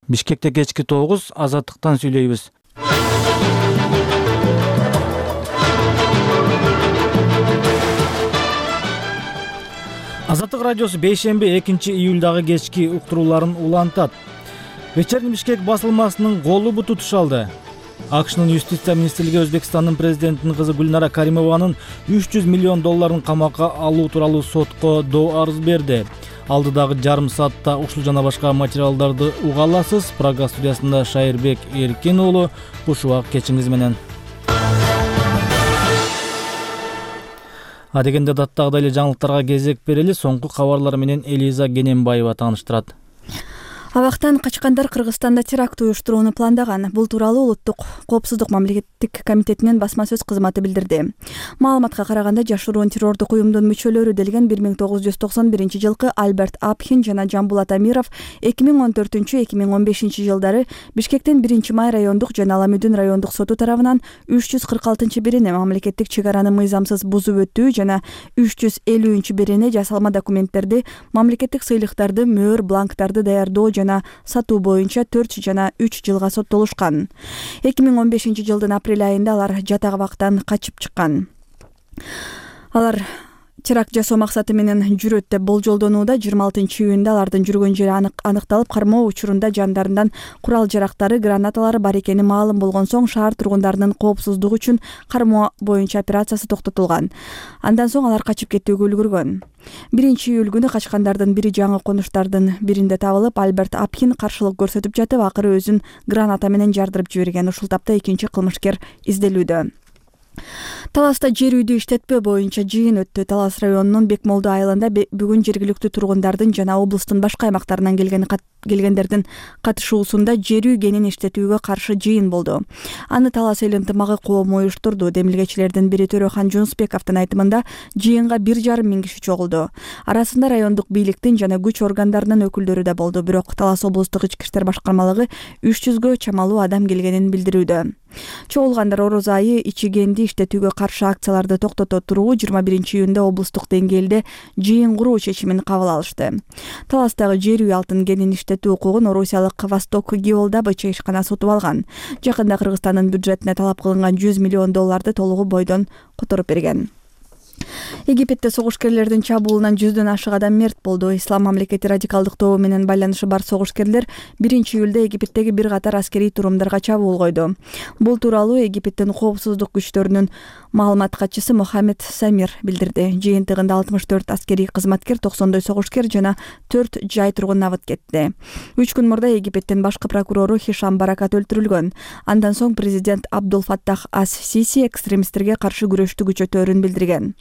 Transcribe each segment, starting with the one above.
Бишкекте кечки 9 Азаттыктан сүйлөйбүз. Азаттык радиосу бейшемби 2-июлдагы кечки уктурууларын улантат. Вечерний Бишкек басылмасынын колу буту тушалды. АКШнын юстиция министрлиги Өзбекстандын президентинин кызы Гүлнара Каримованын $300 миллион камакка алуу тууралуу сотко доо арыз берди. Алдыдагы жарым саатта ушул жана башка материалдарды уга аласыз. Прага студиясында Шайырбек Эркин уулу. Буш убак кечиңиз менен. Адегенде даттагыдай эле жаңылыктарга кезек берели. Соңку кабарлар менен Элиза Кененбаева тааныштырат. Абактан качкандар Кыргызстанда теракт уюштурууну пландаган. Бул тууралуу Улуттук коопсуздук мамлекеттик комитетинин басма сөз кызматы билдирди. Маалыматка караганда, жашыруун террордук уюмдун мүчөлөрү делген 1991 Альберт Апхин жана Жамбулат Амиров 2014-2015 жылдары Бишкектин 1-май райондук жана Аламүдүн райондук соту тарабынан 346-бирине мамлекеттик чек араны мыйзамсыз бузуп өтүү жана 350-бирине жасалма документтерди, мамлекеттик сыйлыктарды, мөөр бланктарды даярдоо жана сатуу боюнча 4 жана 3 жылга соттолушкан. 2015 жылдын апрель айында алар жатак абактан качып чыккан. Алар теракт жасоо максаты менен жүрөт деп болжолдонууда. 26-июнда алардын жүргөн жери аныкталып, кармоо учурунда жандарынан курал жарактары, гранаталары бар экени маалым болгон соң шаар тургундарынын коопсуздугу үчүн кармоо боюнча операциясы токтотулган. Андан соң алар качып кетүүгө үлгүргөн. 1-июль күнү качкандардын бири жаңы конуштардын биринде табылып, Альберт Апхин каршылык көрсөтүп жатып, акыры өзүн граната менен жардырып жиберген. Ушул тапта экинчи кылмышкер изделүүдө. Таласта жер үйдү иштетпөө боюнча жыйын өттү. Талас районунун Бекмолду айылында бүгүн жергиликтүү тургундардын жана облустун башка аймактарынан келгендердин катышуусунда жер үй кенин иштетүүгө каршы жыйын болду. Аны Талас эл ынтымагы коому уюштурду. Демилгечилердин бири Төрөхан Жунусбековдун айтымында, жыйынга 1,5 миң киши чогулду. Арасында райондук бийликтин жана күч органдарынын өкүлдөрү да болду. Бирок Талас облустук ички иштер башкармалыгы 300гө чамалуу адам келгенин билдирүүдө. Чогулгандар ороз айы ичигенди иштетүүгө каршы акцияларды токтото туруу 21-июнда облустук деңгээлде жыйын куруу чечимин кабыл алышты. Таластагы жер үй алтын кенин иштетүү укугун орусиялык Восток Геолдобыча ишкана сотуп алган. Жакында Кыргызстандын бюджетине талап кылынган $100 миллион толугу бойдон которуп берген. Египетте согушкерлердин чабуулунан 100дөн ашык адам мерт болду. Ислам мамлекети радикалдык тобу менен байланышы бар согушкерлер 1-июлда Египеттеги бир катар аскерий турумдарга чабуул койду. Бул тууралуу Египеттин коопсуздук күчтөрүнүн маалымат катчысы Мохаммед Самир билдирди. Жыйынтыгында 64 аскерий кызматкер, 90 согушкер жана 4 жай тургун абыт кетти. 3 күн мурда Египеттин башкы прокурору Хишам Баракат өлтүрүлгөн. Андан соң президент Абдул Фаттах ас-Сиси экстремисттерге каршы күрөштү күчөтөөрүн билдирген.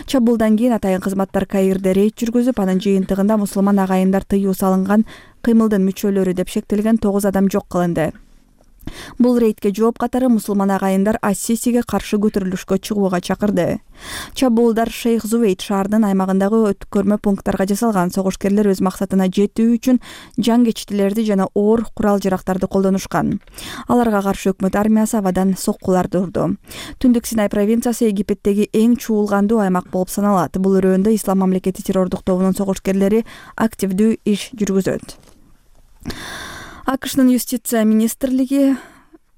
Чабуулдан кийин атайын кызматтар Каирде рейд жүргүзүп, анын жыйынтыгында мусулман агайындар тыюу салынган кыймылдын мүчөлөрү деп шектелген 9 адам жок кылынды. Бул рейдке жооп катары мусулман агайындар ас-Сисиге каршы көтөрүлүшкө чыгууга чакырды. Чабуулдар Шейх Зуэйд шаарынын аймагындагы өткөрмө пункттарга жасалган. Согушкерлер өз максатына жетүү үчүн жаңгечтилерди жана оор курал жарактарды колдонушкан. Аларга каршы өкмөт армиясы абадан соккуларды урду. Түндүк Синай провинциясы Египеттеги эң чуулгандуу аймак болуп саналат. Бул өрөөндө Ислам мамлекети террордук тобунун согушкерлери активдүү иш жүргүзөт. АКШнын юстиция министрлиги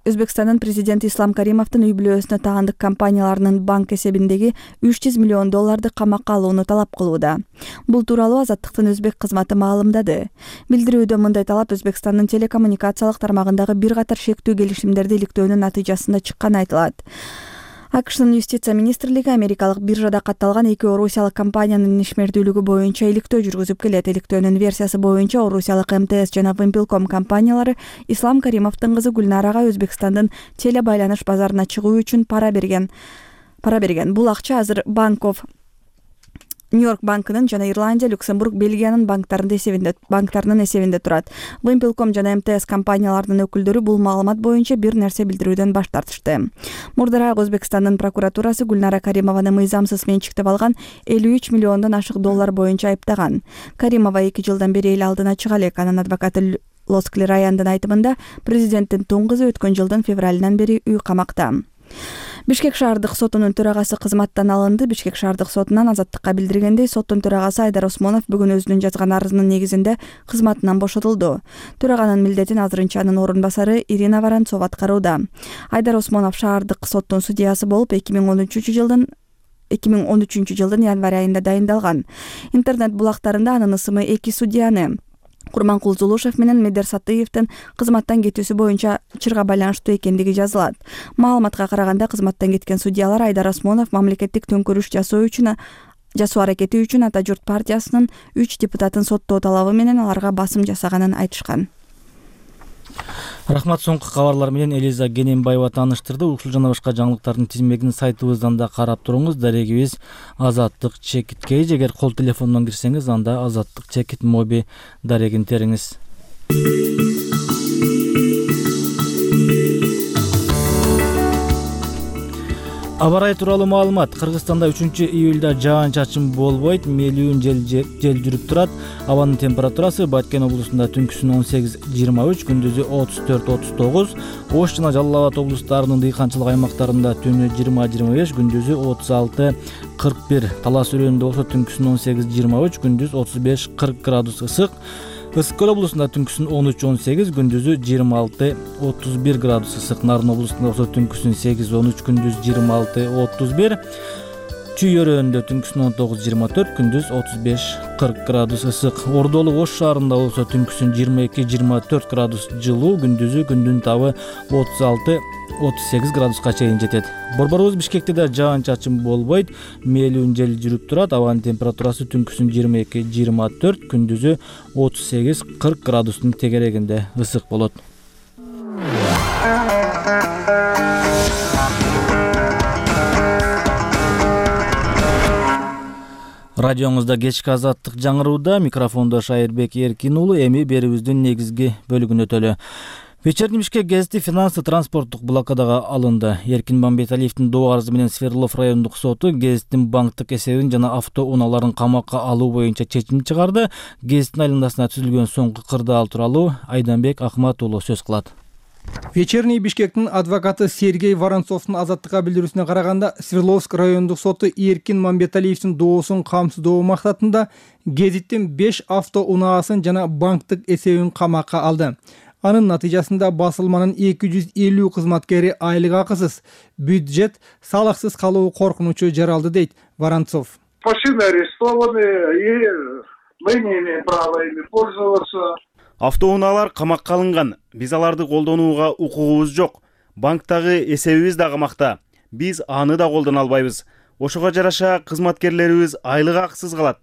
Өзбекстандын президенти Ислам Каримовдун үй бүлөсүнө таандык компанияларынын банк эсебиндеги $300 миллион камакка алууну талап кылууда. Бул тууралуу Азаттыктын өзбек кызматы маалымдады. Билдирүүдө мындай талап Өзбекстандын телекоммуникациялык тармагындагы бир катар шектүү келишимдерди иликтөөнүн натыйжасында чыкканы айтылат. АКШнын юстиция министрлиги америкалык биржада катталган 2 орусиялык компаниянын ишмердүүлүгү боюнча иликтөө жүргүзүп келет. Иликтөөнүн версиясы боюнча орусиялык МТС жана Вимпелком компаниялары Ислам Каримовдун кызы Гүлнарага Өзбекстандын телебайланыш базарына чыгуу үчүн пара берген. Бул акча азыр Нью-Йорк банкынын жана Ирландия, Люксембург, Бельгиянын банктарынын эсебинде турат. Вимпелком жана МТС компанияларынын өкүлдөрү бул маалымат боюнча бир нерсе билдирүүдөн баш тартышты. Мурдараак Өзбекстандын прокуратурасы Гүлнара Каримованы мыйзамсыз менчиктеп алган $53 миллиондон ашык айыптаган. Каримова 2 жылдан бери эл алдына чыга элек. Анын адвокаты Лоскли Раяндын айтымында президенттин тун кызы өткөн жылдын февралынан бери үй камакта. Бишкек шаардык сотунун төрагасы кызматтан алынды. Бишкек шаардык сотунан азаттыкка билдиргендей, соттун төрагасы Айдар Осмонов бүгүн өзүнүн жазган арызынын негизинде кызматынан бошотулду. Төраганын милдетин азырынча анын орун басары Ирина Воронцова аткарууда. Айдар Осмонов шаардык соттун судьясы болуп 2013 жылдын январь айында дайындалган. Интернет булактарында анын ысымы эки судьяны Курманкул Зулушев менен Медер Сатыевдин кызматтан кетүүсү боюнча чырга байланыштуу экендиги жазылат. Маалыматка караганда, кызматтан кеткен судьялар Айдар Осмонов мамлекеттик төңкөрүш жасоо аракети үчүн Ата журт партиясынын 3 депутатын соттоо талабы менен аларга басым жасаганын айтышкан. Рахмат, соңку кабарлар менен Элиза Генембаева тааныштырды. Ушул жана башка жаңылыктардын тизмегин сайтыбыздан да карап туруңуз. Дарегибиз Азаттык Чекит Кейж. Эгер кол телефондон кирсеңиз, анда Азаттык Чекит моби дарегин териңиз. Аба ырайы тууралуу маалымат. Кыргызстанда 3-июлда жаан-чачын болбойт, мелүүн жел жүрүп турат. Абанын температурасы Баткен облусунда түнкүсүн 18-23, күндүзү 34-39, Ош жана Жалал Абад облустарынын дыйканчылык аймактарында түнү 20-25, күндүзү 36-41. Талас өрөөнүндө болсо түнкүсүн 18-23, күндүз 35-40 градус ысык. Ысык көл облусунда түнкүсүн 13-18, күндүзү 26-31 градус ысык. Нарын облусунда болсо түнкүсүн 8-13, күндүз 26-31. Чүй өрөөнүндө түнкүсүн 19-24, күндүз 35-40 градус ысык. Ордолу Ош шаарында болсо түнкүсүн 22-24 градус жылуу, күндүзү күндүн табы 36-38 градуска чейин жетет. Борборубуз Бишкекте да жаан-чачын болбойт, мелүүн жел жүрүп турат. Абанын температурасы түнкүсүн 22-24, күндүзү 38-40 градустун тегерегинде ысык болот. Радионузда кечки азаттык жаңырууда, микрофондо Шайырбек Эркин уулу. Эми берүүбүздүн негизги бөлүгүнө өтөлү. Вечерний Бишкек гезити финансы транспорттук блокадага алынды. Эркин Мамбеталиевдин доо арызы менен Свердлов райондук соту гезиттин банктык эсебин жана автоунааларын камакка алуу боюнча чечим чыгарды. Гезиттин айланасына түзүлгөн соңку кырдаал тууралуу Айданбек Акмат уулу сөз кылат. Вечерний Бишкектин адвокаты Сергей Воронцовдун азаттыкка билдирүүсүнө караганда, Свердловск райондук соту Эркин Мамбеталиевдин доосун камсыздоо максатында гезиттин 5 автоунаасын жана банктык эсебин камакка алды. Анын натыйжасында басылманын 250 кызматкери айлык акысыз, бюджет салыксыз калуу коркунучу жаралды, дейт Воронцов. Машины арестованы, и мы не имеем права ими пользоваться. Автоунаалар камакка алынган. Биз аларды колдонууга укугубуз жок. Банктагы эсебибиз да камакта. Биз аны да колдоно албайбыз. Ошого жараша кызматкерлерибиз айлык акысыз калат.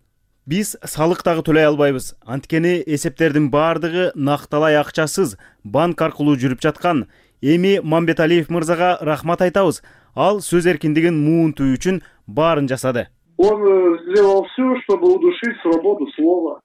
Биз салык дагы төлөй албайбыз. Анткени эсептердин баардыгы накталай акчасыз банк аркылуу жүрүп жаткан. Эми Мамбеталиев мырзага рахмат айтабыз. Ал сөз эркиндигин муунтуу үчүн баарын жасады. Он сделал все, чтобы удушить свободу слова.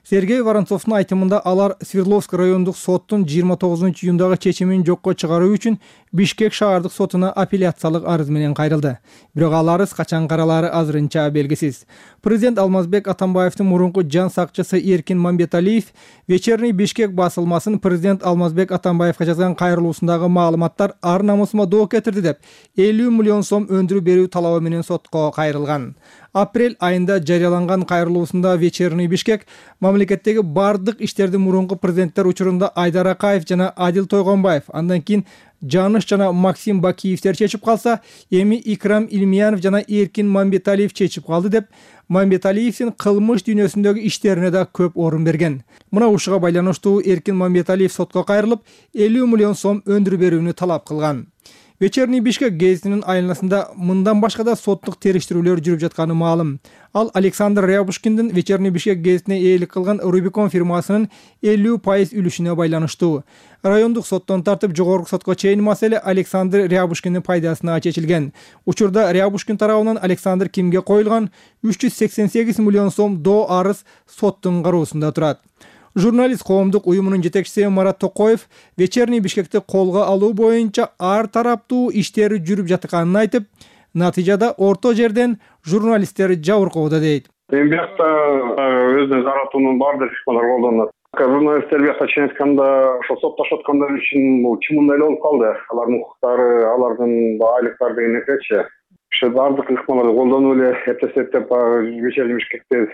Сергей Воронцовдун айтымында алар Свердловск райондук соттун 29-июндагы чечимин жокко чыгаруу үчүн Бишкек шаардык сотуна апелляциялык арыз менен кайрылды. Бирок ал арыз качан каралаары азырынча белгисиз. Президент Алмазбек Атамбаевдин мурунку жан сакчысы Эркин Мамбеталиев Вечерний Бишкек басылмасын президент Алмазбек Атамбаевга жазган кайрылуусундагы маалыматтар ар намысыма доо кетирди деп 50 миллион сом өндүрүү берүү талабы менен сотко кайрылган. Апрель айында жарыяланган кайрылуусунда Вечерний Бишкек мамлекеттеги бардык иштердин мурунку президенттер учурунда Айдар Акаев жана Адил Тойгонбаев, андан кийин Жаныш жана Максим Бакиевтер чечип калса, эми Икрам Илмиянов жана Эркин Мамбеталиев чечип калды деп Мамбеталиевдин кылмыш дүйнөсүндөгү иштерине да көп орун берген. Мына ушуга байланыштуу Эркин Мамбеталиев сотко кайрылып 50 миллион сом өндүрүү берүүнү талап кылган. Вечерний Бишкек гезитинин айланасында мындан башка да соттук териштирүүлөр жүрүп жатканы маалым. Ал Александр Рябушкиндин Вечерний Бишкек гезитине ээлик кылган Рубикон фирмасынын 50% үлүшүнө байланыштуу. Райондук соттон тартып жогорку сотко чейин маселе Александр Рябушкиндин пайдасына чечилген. Учурда Рябушкин тарабынан Александр Кимге коюлган 388 миллион сом доо арыз соттун кароосунда турат. Журналист коомдук уюмунун жетекчиси Марат Токоев Вечерний Бишкекти колго алуу боюнча ар тараптуу иштери жүрүп жатканын айтып, натыйжада орто жерден журналисттер жабыркоодо, дейт. Эми бияқта өзүнө жаратуунун баардык ыкмалары колдонулат. Журналисттер бияка чейин айтканда ошо соттошуп аткандар үчүн бул чымындай эле болуп калды. Алардын укуктары, алардын айлыктары деген нерсечи. Ошо баардык ыкмаларды колдонуп эле эптеп вечерний Бишкекти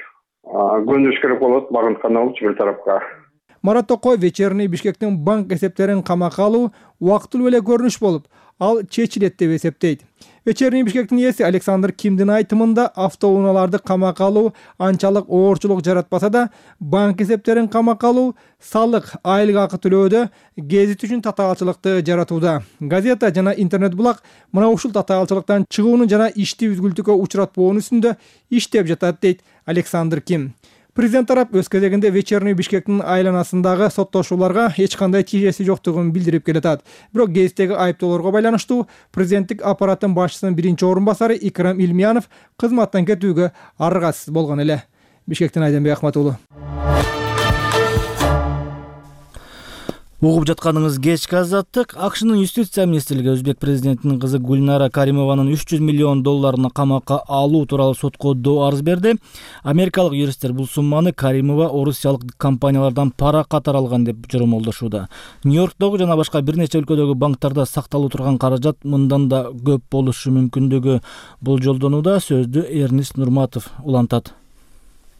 көндүрүш керек болот, багынткан болчу бир тарапка. Марат Токоев вечерний Бишкектин банк эсептерин камакка алуу убактылуу эле көрүнүш болуп, ал чечилет деп эсептейт. Вечерний Бишкектин ээси Александр Кимдин айтымында автоунааларды камакка алуу анчалык оорчулук жаратпаса да, банк эсептерин камакка алуу салык, айлык акы төлөөдө гезит үчүн татаалчылыкты жаратууда. Газета жана интернет-булак мына ушул татаалчылыктан чыгууну жана ишти үзгүлтүккө учуратпоонун үстүндө иштеп жатат, дейт Александр Ким. Президент тарап өз кезегинде вечерний Бишкектин айланасындагы соттошууларга эч кандай тиешеси жоктугун билдирип келатат. Бирок гезиттеги айыптоолорго байланыштуу президенттик аппараттын башчысынын биринчи орун басары Икрам Илмиянов кызматтан кетүүгө аргасыз болгон эле. Бишкектен Айденбек Ахматуулу. Угуп жатканыңыз кечки азаттык. АКШнын юстиция министрлиги өзбек президентинин кызы Гульнара Каримованын $300 миллион камакка алуу тууралуу сотко доо арыз берди. Америкалык юристтер бул сумманы Каримова орусиялык компаниялардан пара катары алган деп жоромолдошууда. Нью-Йорктогу жана башка бир нече өлкөдөгү банктарда сакталуу турган каражат мындан да көп болушу мүмкүндүгү болжолдонууда. Сөздү Эрнист Нурматов улантат.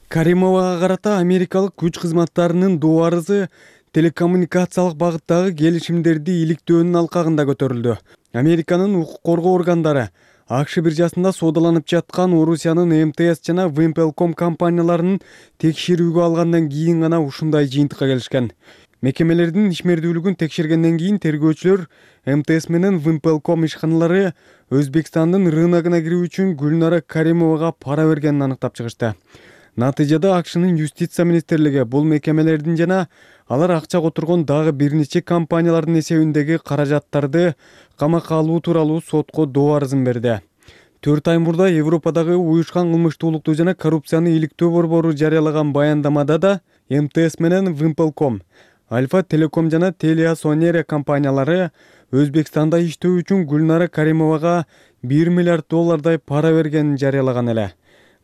Каримовага карата америкалык күч кызматтарынын доо арызы телекоммуникациялык багыттагы келишимдерди иликтөөнүн алкагында көтөрүлдү. Американын укук коргоо органдары АКШ биржасында соодаланып жаткан Орусиянын МТС жана Wimpelcom компанияларынын текшерүүгө алгандан кийин гана ушундай жыйынтыкка келишкен. Мекемелердин ишмердүүлүгүн текшергенден кийин тергөөчүлөр МТС менен Wimpelcom ишканалары Өзбекстандын рыногуна кирүү үчүн Гүлнара Каримовага пара бергенин аныктап чыгышты. Натыйжада АКШнын юстиция министрлиги бул мекемелердин жана алар акча которгон дагы бир нече компаниялардын эсебиндеги каражаттарды камакка алуу тууралуу сотко доо арызын берди. 4 ай мурда Европадагы уюшкан кылмыштуулукту жана коррупцияны иликтөө борбору жарыялаган баяндамада да МТС менен Wimpelcom, Альфа Телеком жана Телеасонера компаниялары Өзбекстанда иштөө үчүн Гүлнара Каримовага $1 миллиард пара бергенин жарыялаган эле.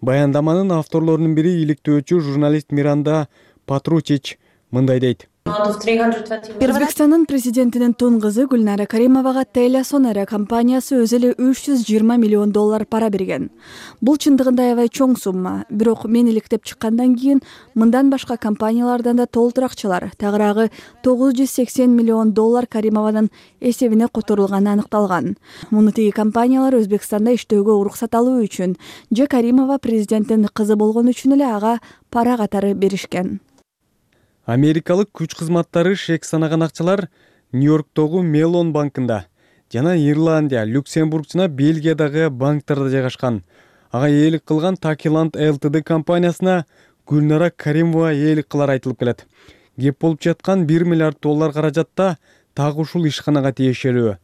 Баяндаманын авторлорунун бири иликтөөчү журналист Миранда Патручич мындай дейт. Өзбекстандын президентинин тун кызы Гүлнара Каримовага Телеасонера компаниясы өзү эле $320 миллион пара берген. Бул чындыгында аябай чоң сумма. Бирок мен иликтеп чыккандан кийин мындан башка компаниялардан да толтур акчалар, тагыраагы $980 миллион Каримованын эсебине которулганы аныкталган. Муну тиги компаниялар Өзбекстанда иштөөгө уруксат алуу үчүн же Каримова президенттин кызы болгон үчүн эле ага пара катары беришкен. Америкалык күч кызматтары шек санаган акчалар Нью-Йорктогу Мелон банкында жана Ирландия, Люксембург жана Бельгиядагы банктарда жайгашкан. Ага ээлик кылган Takiland Ltd компаниясына Гүлнара Каримова ээлик кылар айтылып келет. Кеп болуп жаткан $1 миллиард каражатта так ушул ишканага тиешелүү.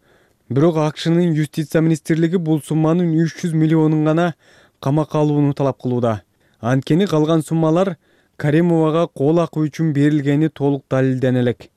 Бирок АКШнын юстиция министрлиги бул сумманын 300 миллионун гана камакка алууну талап кылууда. Анткени калган суммалар Каримовага кол акы үчүн берилгени толук далилдене элек.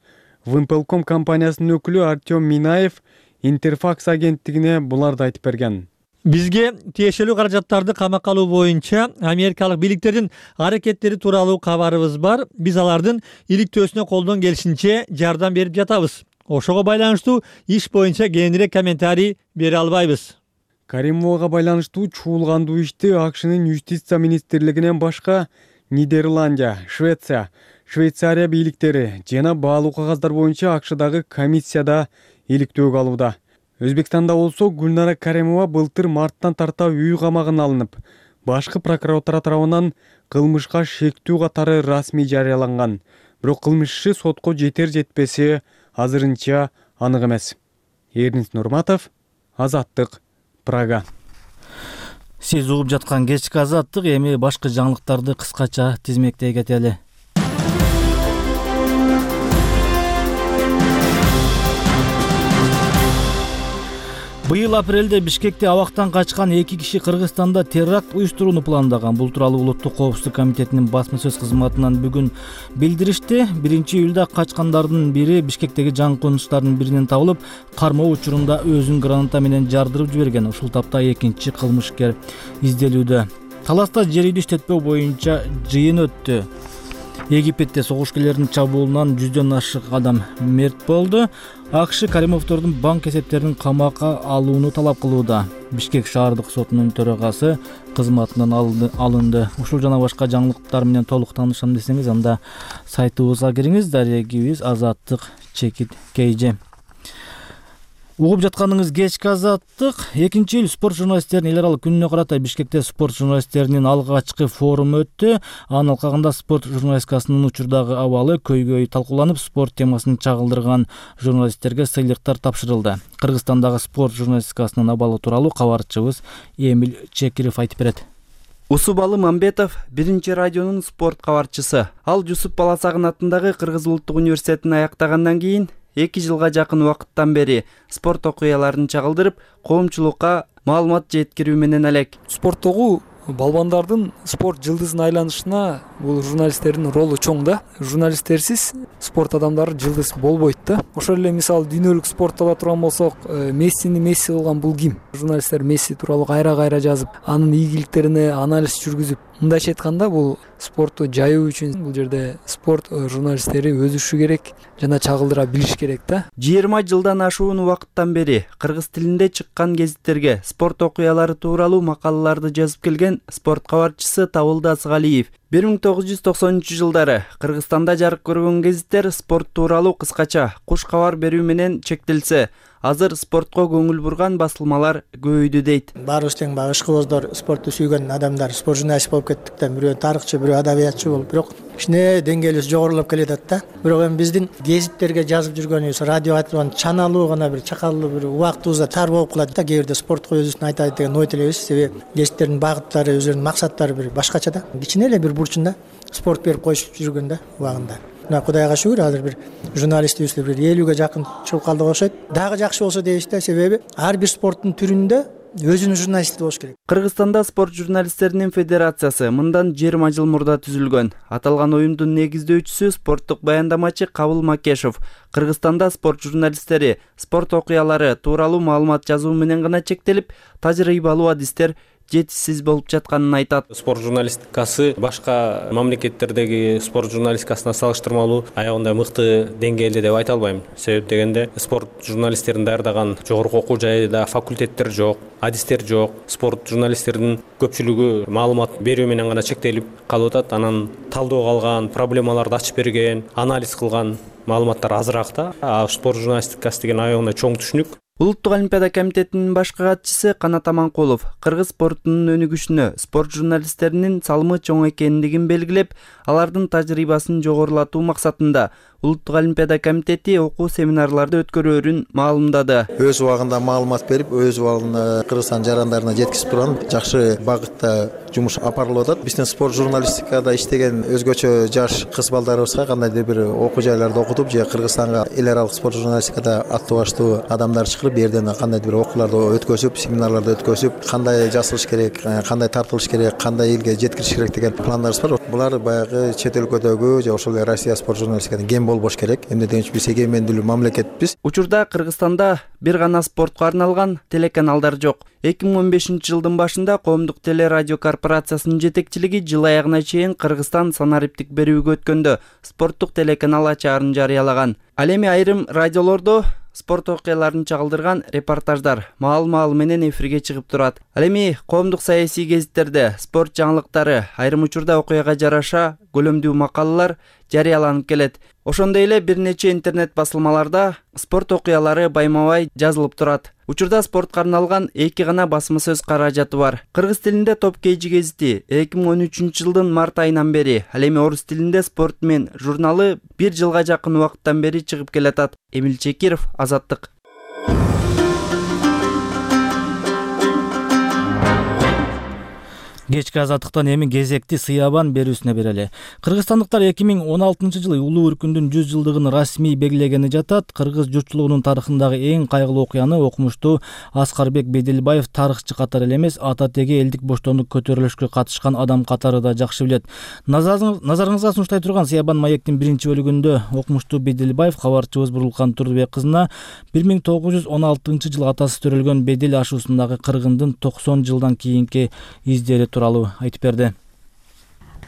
Wimpelcom компаниясынын өкүлү Артем Минаев Интерфакс агенттигине буларды айтып берген. Бизге тиешелүү каражаттарды камакка алуу боюнча америкалык бийликтердин аракеттери тууралуу кабарыбыз бар. Биз алардын иликтөөсүнө колдон келишинче жардам берип жатабыз. Ошого байланыштуу иш боюнча кээинирээк комментарий бере албайбыз. Каримовага байланыштуу чуулгандуу ишти АКШнын юстиция министрлигинен башка Нидерландия, Швеция, Швейцария бийликтери жана баалуу кагаздар боюнча АКШдагы комиссияда иликтөөгө алууда. Өзбекстанда болсо Гүлнара Каримова былтыр марттан тарта үй камагына алынып, башкы прокуратура тарабынан кылмышка шектүү катары расмий жарыяланган. Бирок кылмыш иши сотко жетер жетпеси азырынча анык эмес. Эрнист Нурматов, Азаттык, Прага. Сиз угуп жаткан кечки азаттык, эми башкы жаңылыктарды кыскача тизмектей кетели. Быйыл апрелде Бишкекте абактан качкан 2 киши Кыргызстанда теракт уюштурууну пландаган. Бул тууралуу Улуттук коопсуздук комитетинин басма сөз кызматынан бүгүн билдиришти. 1-июлда качкандардын бири Бишкектеги жаңы конуштардын биринен табылып, кармоо учурунда өзүн граната менен жардырып жиберген. Ушул тапта экинчи кылмышкер изделүүдө. Таласта жер үйдү иштетпөө боюнча жыйын өттү. Египетте согуш кээлеринин чабуулунан 100дөн ашык адам мерт болду. АКШ Каримовдордун банк эсептерин камакка алууну талап кылууда. Бишкек шаардык сотунун төрагасы кызматынан алынды. Ушул жана башка жаңылыктар менен толук таанышам десеңиз, анда сайтыбызга кириңиз. Дарегибиз Азаттык Чекит KG. Угуп жатканыңыз кечки Азаттык. 2-июль спорт журналисттеринин эл аралык күнүнө карата Бишкекте спорт журналисттеринин алгачкы форуму өттү. Анын алкагында спорт журналистикасынын учурдагы абалы көйгөй талкууланып, спорт темасын чагылдырган журналисттерге сыйлыктар тапшырылды. Кыргызстандагы спорт журналистикасынын абалы тууралуу кабарчыбыз Эмиль Чекиров айтып берет. Усубалы Мамбетов биринчи радионун спорт кабарчысы. Ал Жусуп Баласагын атындагы Кыргыз улуттук университетин аяктагандан кийин 2 жылга жакын убакыттан бери спорт окуяларын чагылдырып, коомчулукка маалымат жеткирүү менен элек. Спорттогу балбандардын спорт жылдызына айланышына бул журналисттердин ролу чоң да. Журналисттерсиз спорт адамдары жылдыз болбойт да. Ошол эле мисалы дүйнөлүк спортто ала турган болсок, Мессини Месси кылган бул ким? Журналисттер Месси тууралуу кайра жазып, анын ийгиликтерине анализ жүргүзүп, мындайча айтканда бул спортту жайуу үчүн бул жерде спорт журналисттери өсүшү керек жана чагылдыра билиш керек да. 20 жылдан ашуун убакыттан бери кыргыз тилинде чыккан гезиттерге спорт окуялары тууралуу макалаларды жазып келген спорт кабарчысы Табылды Асыгалиев 1990-жылдары Кыргызстанда жарык көргөн гезиттер спорт тууралуу кыскача куш кабар берүү менен чектелсе, азыр спортко көңүл бурган басылмалар көбөйдү дейт. Баарыбыз тең баягы ишкыбыздар, спортту сүйгөн адамдар, спорт журналист болуп кеттик да, бирөө тарыхчы, бирөө адабиятчы болуп, бирок кичине деңгээлибиз жогорулап келатат да. Бирок эми биздин гезиттерге жазып жүргөнүбүз, радио айтылган чаналуу гана бир чакалуу бир убактыбызда тар болуп калат да. Кээ бирде спортко өзүбүздүн айтайын деген ой тилебиз, себеби гезиттердин багыттары, өзүлөрүнүн максаттары бир башкача да. Кичине эле бир бурчунда спорт берип коюшуп жүргөн да убагында. Кудайга шүгүр, азыр бир журналистибизде бир 50ге жакын чыгып калдык окшойт. Дагы жакшы болсо дейбиз да, себеби ар бир спорттун түрүндө өзүнүн журналисти болуш керек. Кыргызстанда спорт журналисттеринин федерациясы мындан 20 жыл мурда түзүлгөн. Аталган уюмдун негиздөөчүсү спорттук баяндамачы Кабыл Макешов Кыргызстанда спорт журналисттери спорт окуялары тууралуу маалымат жазуу менен гана чектелип, тажрыйбалуу адистер жетишсиз болуп жатканын айтат. Спорт журналистикасы башка мамлекеттердеги спорт журналистикасына салыштырмалуу аягында мыкты деңгээлде деп айта албайм. Себеп дегенде спорт журналисттерин даярдаган жогорку окуу жайда факультеттер жок, адистер жок. Спорт журналисттердин көпчүлүгү маалымат берүү менен гана чектелип калып атат. Анан талдоого алган, проблемаларды ачып берген, анализ кылган маалыматтар азыраак да. Спорт журналистикасы деген аягында чоң түшүнүк. Улуттук олимпиада комитетинин башкы катчысы Канат Аманкулов кыргыз спортунун өнүгүшүнө спорт журналисттеринин салымы чоң экендигин белгилеп, алардын тажрыйбасын жогорулатуу максатында Улуттук олимпиада комитети окуу семинарларды өткөрөөрүн маалымдады. Өз убагында маалымат берип, өз убагында Кыргызстан жарандарына жеткизип турган жакшы багытта жумуш апарылып атат. Биздин спорт журналистикада иштеген өзгөчө жаш кыз балдарыбызга кандайдыр бир окуу жайларды окутуп, же Кыргызстанга эл аралык спорт журналистикада аттуу баштуу адамдар чыгарып, берден кандайдыр бир окууларды өткөзүп, семинарларды өткөзүп, кандай жасалыш керек, кандай тартылыш керек, кандай элге жеткириш керек деген пландарыбыз бар. Булар баягы чет өлкөдөгү же ошол Россия спорт журналистикадан кем болбош керек. Эмне дегенче биз эгемендүүлүү мамлекетпиз. Учурда Кыргызстанда бир гана спортко арналган телеканалдар жок. 2015-жылдын башында Коомдук телерадио корпорациясынын жетекчилиги жыл аягына чейин Кыргызстан санариптик берүүгө өткөндө спорттук телеканал ачаарын жарыялаган. Ал эми айрым радиолордо спорт окуяларын чагылдырган репортаждар маал менен эфирге чыгып турат. Ал эми коомдук саясий гезиттерде спорт жаңылыктары, айрым учурда окуяга жараша көлөмдүү макалалар жарыяланып келет. Ошондой эле бир нече интернет басылмаларда спорт окуялары байма-бай жазылып турат. Учурда спортко арналган 2 гана басма сөз каражаты бар. Кыргыз тилинде Топ KG гезити 2013-жылдын март айынан бери, ал эми орус тилинде Спорт мен журналы 1 жылга жакын убакыттан бери чыгып келатат. Эмиль Чекиров, Азаттык. Кечки Азаттыктан эми кезекти сыябан берүүсүнө берели. Кыргызстандыктар 2016-жылы улуу өркүндүн 100 жылдыгын расмий белгилегени жатат. Кыргыз журтчулугунун тарыхындагы эң кайгылуу окуяны окумуштуу Аскарбек Беделбаев тарыхчы катары эле эмес, ата теги элдик боштондук көтөрүлүшкө катышкан адам катары да жакшы билет. Назарыңызга сунуштай турган сыябан маектин 1-бөлүгүндө окумуштуу Беделбаев кабарчыбыз Бурулкан Турдубек кызына 1916-жылы атасы төрөлгөн Бедел ашуусундагы кыргындын 90 жылдан кийинки издери тууралуу айтып берди.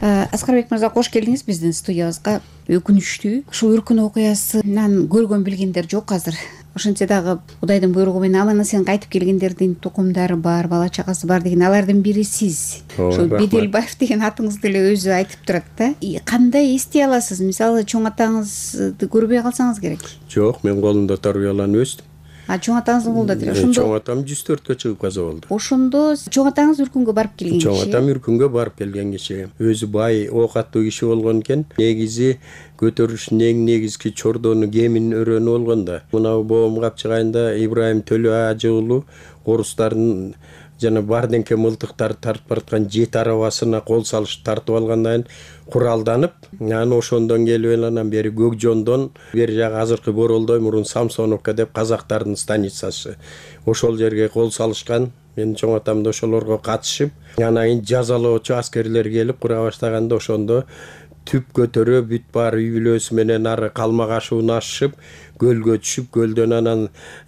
Аскарбек мырза, кош келдиңиз биздин студиябызга. Өкүнүчтүү ушул үркүн окуясынан көргөн билгендер жок азыр. Ошентсе дагы Кудайдын буйругу менен аман-эсен кайтып келгендердин тукумдары бар, бала чагасы бар деген, алардын бири сиз. Ошо Беделбаев деген атыңызды эле өзү айтып турат да. Кандай эстей аласыз? Мисалы, чоң атаңызды көрбөй калсаңыз керек. Жок, мен колунда тарбияланып өстүм. Чоң атаңыздын колунда тире. Чоң атам 104кө чыгып каза болду. Ошондо чоң атаңыз үркүнгө барып келген киши. Чоң атам үркүнгө барып келген киши. Өзү бай, ок аттуу киши болгон экен. Негизи көтөрүштүн эң негизги чордону кемин өрөнү болгон да. Мына боом капчыгайында Ибрайым Төлө ажы уулу орустардын жана бардеңке мылтыктарды тартып бараткан 7 арабасына кол салыш тартып алгандан кийин куралданып, анан ошондон келип анан бери Көкжондон бери жагы азыркы Боролдой, мурун Самсоновка деп казактардын станицасы. Ошол жерге кол салышкан. Мен чоң атам да ошолорго катышып, анан кийин жазалоочу аскерлер келип кура баштаганда ошондо түп көтөрө бүт баары үй бүлөсү менен ары Калмак ашууну ашышып, көлгө түшүп, көлдөн анан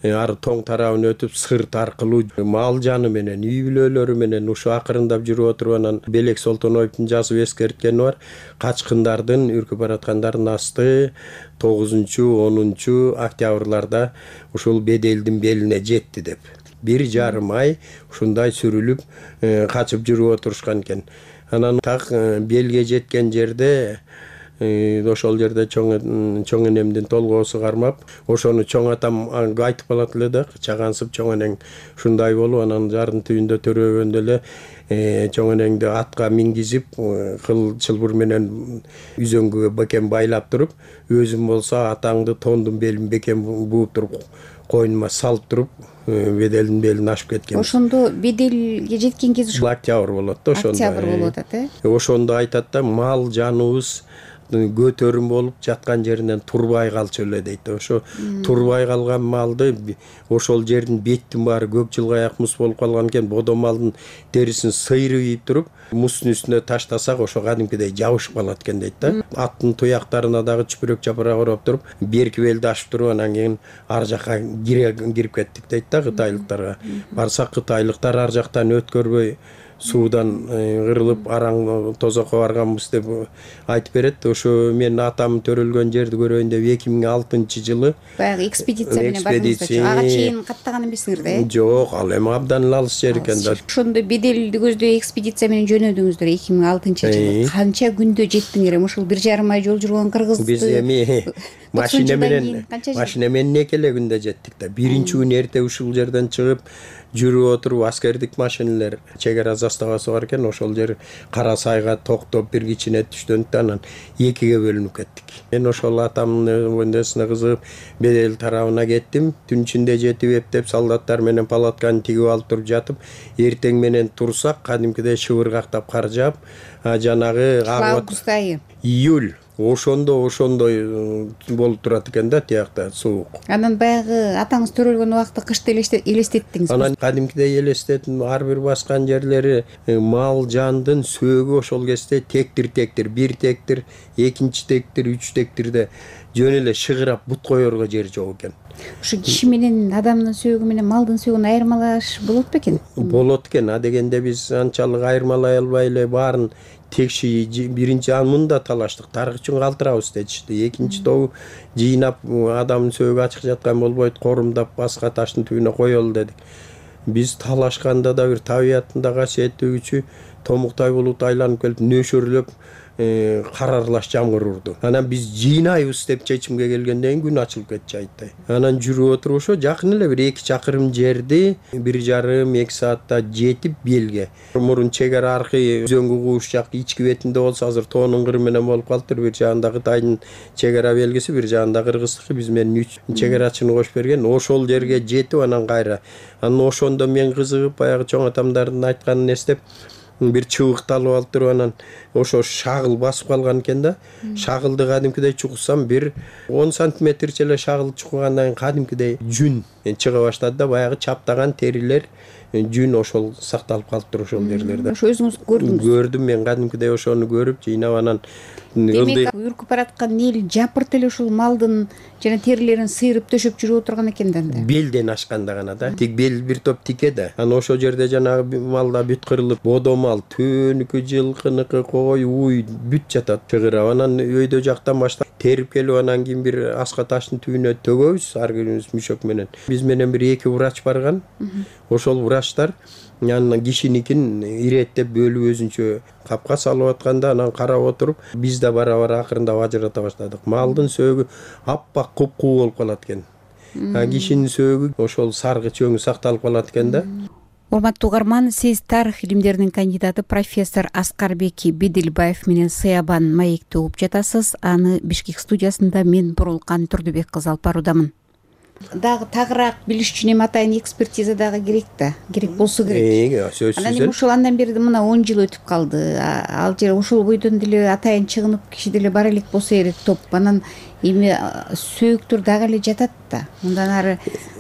ары тоң тарабын өтүп, сырт аркылуу мал жаны менен, үй бүлөлөрү менен ушу акырындап жүрүп отуруп, анан Белек Солтоноевдун жазып эскерткени бар. Качкындардын, үркүп бараткандардын асты 9-10 октябрларда ушул Беделдин белине жетти деп. 1,5 ай ушундай сүрүлүп качып жүрүп отурушкан экен. Анан так белге жеткен жерде ошол жерде чоң энемдин толгоосу кармап, ошону чоң атам айтып калат эле да, чагансып чоң энең ушундай болуп, анан жардын түбүндө төрөгөндө эле чоң энеңди атка мингизип, кыл чылбыр менен үзөңгүгө бекем байлап туруп, өзүм болсо атаңды тондун белин бекем бууп туруп, койнума салып туруп, Беделдин белин ашып кеткен. Ошондо Беделге жеткен кез ушул октябрь болот да, ошондо. Октябрь болуп атат, Ошондо айтат да, мал жаныбыз көтөрүм болуп жаткан жеринен турбай калчу эле дейт. Ошо турбай калган малды ошол жердин беттин баары көк жылгаяк муз болуп калган экен. Бодо малдын терисин сыйрып ийип туруп, муздун үстүнө таштасак ошо кадимкидей жабышып калат экен дейт да. Аттын туяктарына дагы чүпүрөк чапырак ороп туруп, берки белди ашып туруп, анан кийин ар жакка кирип кеттик дейт да кытайлыктарга. Барсак кытайлыктар ар жактан өткөрбөй суудан кырылып араң тозокко барганбыз деп айтып берет. Ошо мен атам төрөлгөн жерди көрөйүн деп 2006-жылы баягы экспедиция менен бардыңыздар. Ага чейин каттаган эмессиңер да? Жок, ал эми абдан алыс жер экен да. Ошондо Беделди көздөй экспедиция менен жөнөдүңүздөр 2006-жылы. Канча күндө жеттиңер? Ушул 1,5 ай жол жүргөн кыргызды биз эми машина менен эки эле күндө жеттик да. Биринчи күнү эрте ушул жерден чыгып жүрүп отуруп, аскердик машиналар чек ара заставасы бар экен, ошол жер Кара Сайга токтоп бир кичине түштөнүп, анан экиге бөлүнүп кеттик. Мен ошол атамдын өндөсүнө кызыгып Бедел тарабына кеттим. Түн ичинде жетип эптеп, солдаттар менен палатканы тигип алып туруп жатып, эртең менен турсак, кадимкидей шыбыргактап кар жаап, жанагы август айы, июль ошондой болуп турат экен да, тиякта суук. Анан баягы атаңыз төрөлгөн убакытты кышты элестеттиңиз. Анан кадимкидей элестеттим, ар бир баскан жерлери мал жандын сөөгү ошол кезде тектир, бир тектир, экинчи тектир, үч тектирде жөн эле шыгырап бут коерго жер жок экен. Ушу киши менен адамдын сөөгү менен малдын сөөгүн айырмалаш болот бекен? Болот экен. А дегенде биз анчалык айырмалай албай эле баарын текши биринчи мында талаштык, тарых үчүн калтырабыз дечишти. Экинчи тобу жыйнап адамдын сөөгү ачык жаткан болбойт, корумдап баска таштын түбүнө коелу дедик. Биз талашканда да бир табияттын да касиеттүү күчү томуктай булут айланып келип нөшөрлөп кар аралаш жамгыр урду. Анан биз жыйнайбыз деп чечимге келгенден кийин күн ачылып кетчү айттай. Анан жүрүп отуруп ошо жакын эле бир 2 чакырым жерди 1,5-2 саатта жетип белге. Мурун чек ара аркы өзөңгү кууш жак ички бетинде болсо азыр тоонун кыры менен болуп калыптыр. Бир жагында Кытайдын чек ара белгиси, бир жагында Кыргыздыкы, биз менен 3 чек арачыны кошуп берген. Ошол жерге жетип анан кайра. Анан ошондо мен кызыгып баягы чоң атамдардын айтканын эстеп бир чыбыкты алып алып туруп, анан ошо шагыл басып калган экен да. Шагылды кадимкидей чукусам бир 10 сантиметрче эле шагыл чукугандан кийин кадимкидей жүн чыга баштады да, баягы чаптаган терилер жүн ошол сакталып калыптыр ошол жерлерде. Ошо өзүңүз көрдүңүз? Көрдүм мен кадимкидей ошону көрүп жыйнап анан демек үркүп бараткан эл жапырт эле ушул малдын жана терилерин сыйрып төшөп жүрүп отурган экен да. Белден ашканда гана да. Тик бел бир топ тике да. Анан ошол жерде жанагы малда бүт кырылып, бодо мал, төөнүкү, жылкыныкы, кой, уй бүт жатат чыгырап. Анан өйдө жактан баштап терип келип анан кийин бир аска таштын түбүнө төгөбүз ар бирибиз мүшөк менен. Биз менен бир 2 врач барган. Ошол врачтар анан кишиникин иреттеп бөлүп өзүнчө капка салып атканда анан карап отуруп биз да бара акырындап ажырата баштадык. Малдын сөөгү аппак куп-куу болуп калат экен. Кишинин сөөгү ошол саргыч өңү сакталып калат экен да. Урматтуу угарман, сиз тарых илимдеринин кандидаты профессор Аскарбек Бедилбаев менен Сыябан маекти угуп жатасыз. Аны Бишкек студиясында мен Бурулкан Турдубек кызы алып баруудамын. Дагы тагыраак билиш үчүн эми атайын экспертиза дагы керек да, керек болсо керек. Анан эми ушул андан бери мына 10 жыл өтүп калды. Ал жер ошол бойдон деле атайын чыгынып киши деле бара элек болсо керек топ. Анан эми сөөктөр дагы эле жатат да. Мындан ары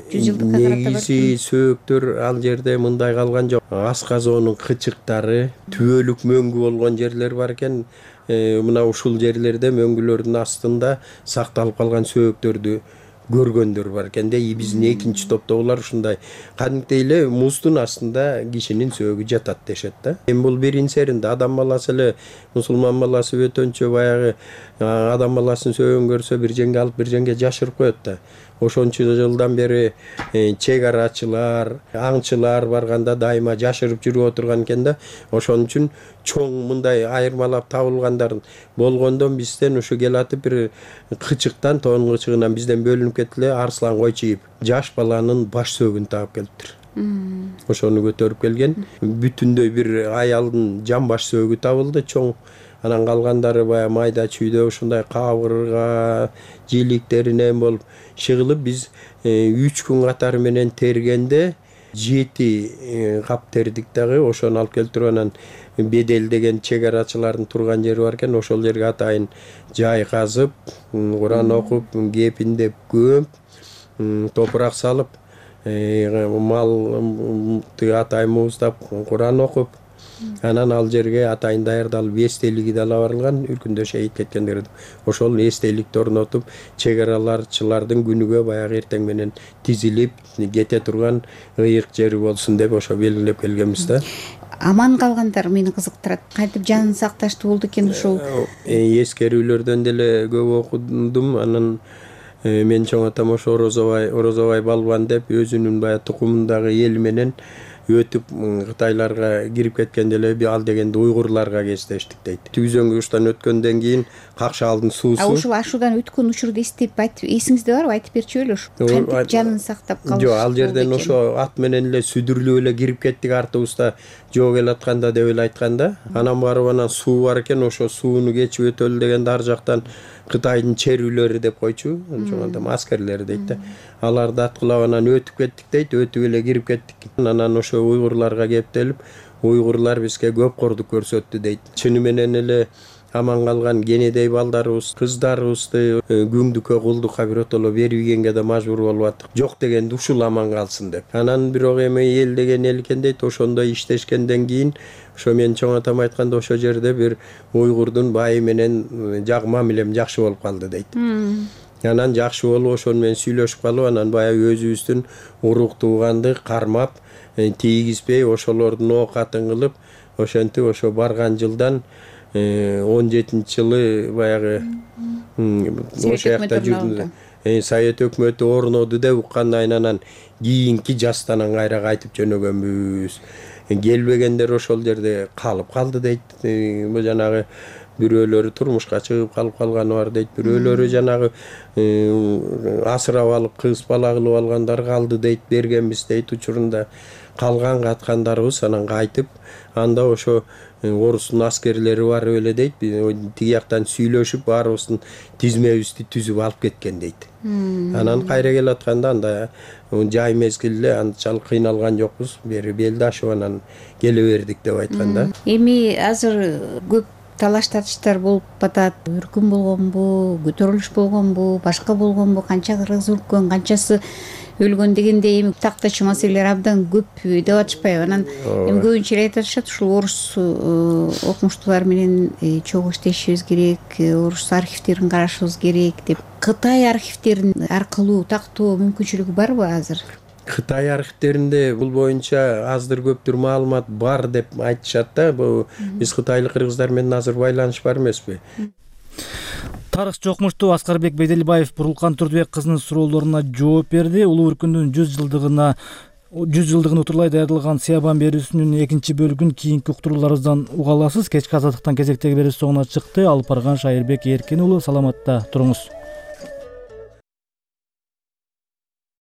100 жылдыкка карата негизи сөөктөр ал жерде мындай калган жок. Асказоонун кычыктары, түбөлүк мөңгү болгон жерлер бар экен. Мына ушул жерлерде мөңгүлөрдүн астында сакталып калган сөөктөрдү көргөндөр бар экен да. Биздин экинчи топто булар ушундай кадимкидей эле муздун астында кишинин сөөгү жатат дешет да. Эми бул биринчеринде адам баласы эле мусулман баласы өтөнчө баягы адам баласынын сөөгүн көрсө бир жеңге алып бир жеңге жашырып коет да. Ошончо жылдан бери чек арачылар, аңчылар барганда дайыма жашырып жүрүп отурган экен да. Ошон үчүн чоң мындай айырмалап табылгандар болгондон бизден ушу келатып бир кычыктан, тоонун кычыгынан бизден бөлүнүп кетти эле арслан койчуйуп жаш баланын баш сөөгүн таап келиптир. Ошону көтөрүп келген. Бүтүндөй бир аялдын жан баш сөөгү табылды чоң. Анан калгандары баягы майда чүйдө ушундай кабырга, жиликтеринен болуп чыгылып биз 3 күн катары менен тергенде 7 кап тердик дагы. Ошону алып келтирип анан Бедел деген чек арачылардын турган жери бар экен. Ошол жерге атайын жай казып, Куран окуп, кепиндеп көмүп, топурак салып, малды атайын мууздап, Куран окуп, анан ал жерге атайын даярдалып эстелиги да барылган, үркүндө шейит кеткендерди. Ошол эстеликти орнотуп, чек араларчылардын күнүгө баягы эртең менен тизилип кете турган ыйык жери болсун деп ошо белгилеп келгенбиз да. Аман калгандар мени кызыктырат. Кантип жанын сакташтуу болду экен ушул? Эскерүүлөрдөн деле көп окудум. Анан мен чоң атам ошо Орозобай балбан деп өзүнүн баягы тукумундагы эл менен өтүп Кытайларга кирип кеткенде эле ал дегенде уйгурларга кездештик дейт. Түзөңгүчтөн өткөндөн кийин Какшаалдын суусу. Ушул ашуудан өткөн учурду эстеп айтып, эсиңизде барбы? Айтып берчү эле ушу. Кантип жанын сактап калыш? Жок, ал жерден ошо ат менен эле сүдүрлүп эле кирип кеттик артыбызда жоо келатканда деп эле айтканда. Анан барып анан суу бар экен, ошо сууну кечип өтөлү дегенде ар жактан Кытайдын черүүлөрү деп койчу, ошондо аскерлери дейт да. Аларды аткылап анан өтүп кеттик дейт, өтүп эле кирип кеттик. Анан ошо уйгурларга кептелип, уйгурлар бизге көп кордук көрсөттү дейт. Чыны менен эле аман калган кенедей балдарыбыз, кыздарыбызды күңдүккө, кулдукка биротоло берип ийгенге да мажбур болуп аттык. Жок дегенде ушул аман калсын деп. Анан бирок эми эл деген эл экен дейт, ошондой иштешкенден кийин ошо мен чоң атам айтканда ошо жерде бир уйгурдун байы менен мамилем жакшы болуп калды дейт. Анан жакшы болуп ошону менен сүйлөшүп калып, анан баягы өзүбүздүн урук тууганды кармап, тийгизбей ошолордун оокатын кылып, ошентип ошо барган жылдан 17-жылы баягы ошо жакта жүрдү. Совет өкмөтү орноду деп уккандан анан кийинки жастан кайра кайтып жөнөгөнбүз. Келбегендер ошол жерде калып калды дейт. Бул жанагы бирөөлөрү турмушка чыгып калып калганы бар дейт. Бирөөлөрү жанагы асырап алып кыз бала кылып алгандар калды дейт, бергенбиз дейт учурунда. Калган каткандарыбыз анан кайтып, анда ошо орустун аскерлери барып эле дейт, тиги жактан сүйлөшүп баарыбыздын тизмебизди түзүп алып кеткен дейт. Анан кайра келатканда анда жай мезгил эле анчалык кыйналган жокпуз, бери белди ашып анан келе бердик деп айтканда. Эми азыр көп талаш тартыштар болуп атат. Өркүн болгонбу, көтөрүлүш болгонбу, башка болгонбу, канча кыргыз өлкөн, канчасы өлгөн дегендей эми тактачы маселелер абдан көп деп атышпайбы. Анан эми көбүнчө эле айтып атышат, ушул орус окумуштуулар менен чогуу иштешибиз керек, орус архивдерин карашыбыз керек деп. Кытай архивдерин аркылуу тактоо мүмкүнчүлүгү барбы азыр? Кытай архивдеринде бул боюнча аздыр көптүр маалымат бар деп айтышат да. Биз кытайлык кыргыздар менен азыр байланыш бар эмеспи? Тарыхчы окумуштуу Аскарбек Беделбаев Бурулкан Турдубек кызынын суроолоруна жооп берди. Улуу өркүндүн 100 жылдыгын утурлай даярдалган Сыябан берүүсүнүн экинчи бөлүгүн кийинки уктурууларыбыздан уга аласыз. Кечки азаттыктан кезектеги берүү соңуна чыкты. Алып барган Шайырбек Эркин уулу, саламатта туруңуз.